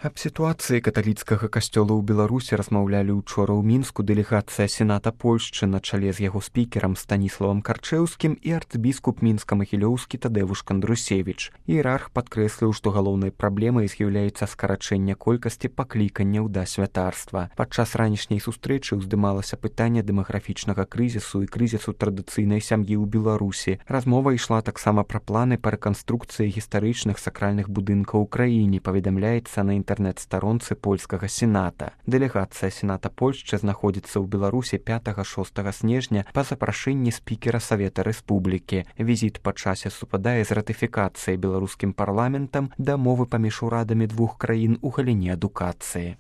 Аб сітуацыі каталіцкага касцёла ў Беларусі размаўлялі учора ў Мінску дэлегацыя Сената Польшчы на чале з яго спікерам Станіславам Карчэўскім і арцбіскуп мінска-магілёўскі Тадэвуш Кандрусевіч. Іерарх падкрэсліў, што галоўнай праблемай з'яўляецца скарачэнне колькасці пакліканняў да святарства. Падчас ранішняй сустрэчы ўздымалася пытанне дэмаграфічнага крызісу і крызісу традыцыйнай сям'і ў Беларусі. Размова ішла таксама пра планы па рэканструкцыі гістарычных сакральных будынкаў у краіне, паведамляецца на інтэрнэт-старонцы польскага сената. Дэлегацыя Сената Польшчы знаходзіцца ў Беларусі 5-6 снежня па запрашэнні спікера Савета Рэспублікі. Візіт па часе супадае з ратыфікацыяй беларускім парламентам дамовы паміж урадамі двух краін у галіне адукацыі.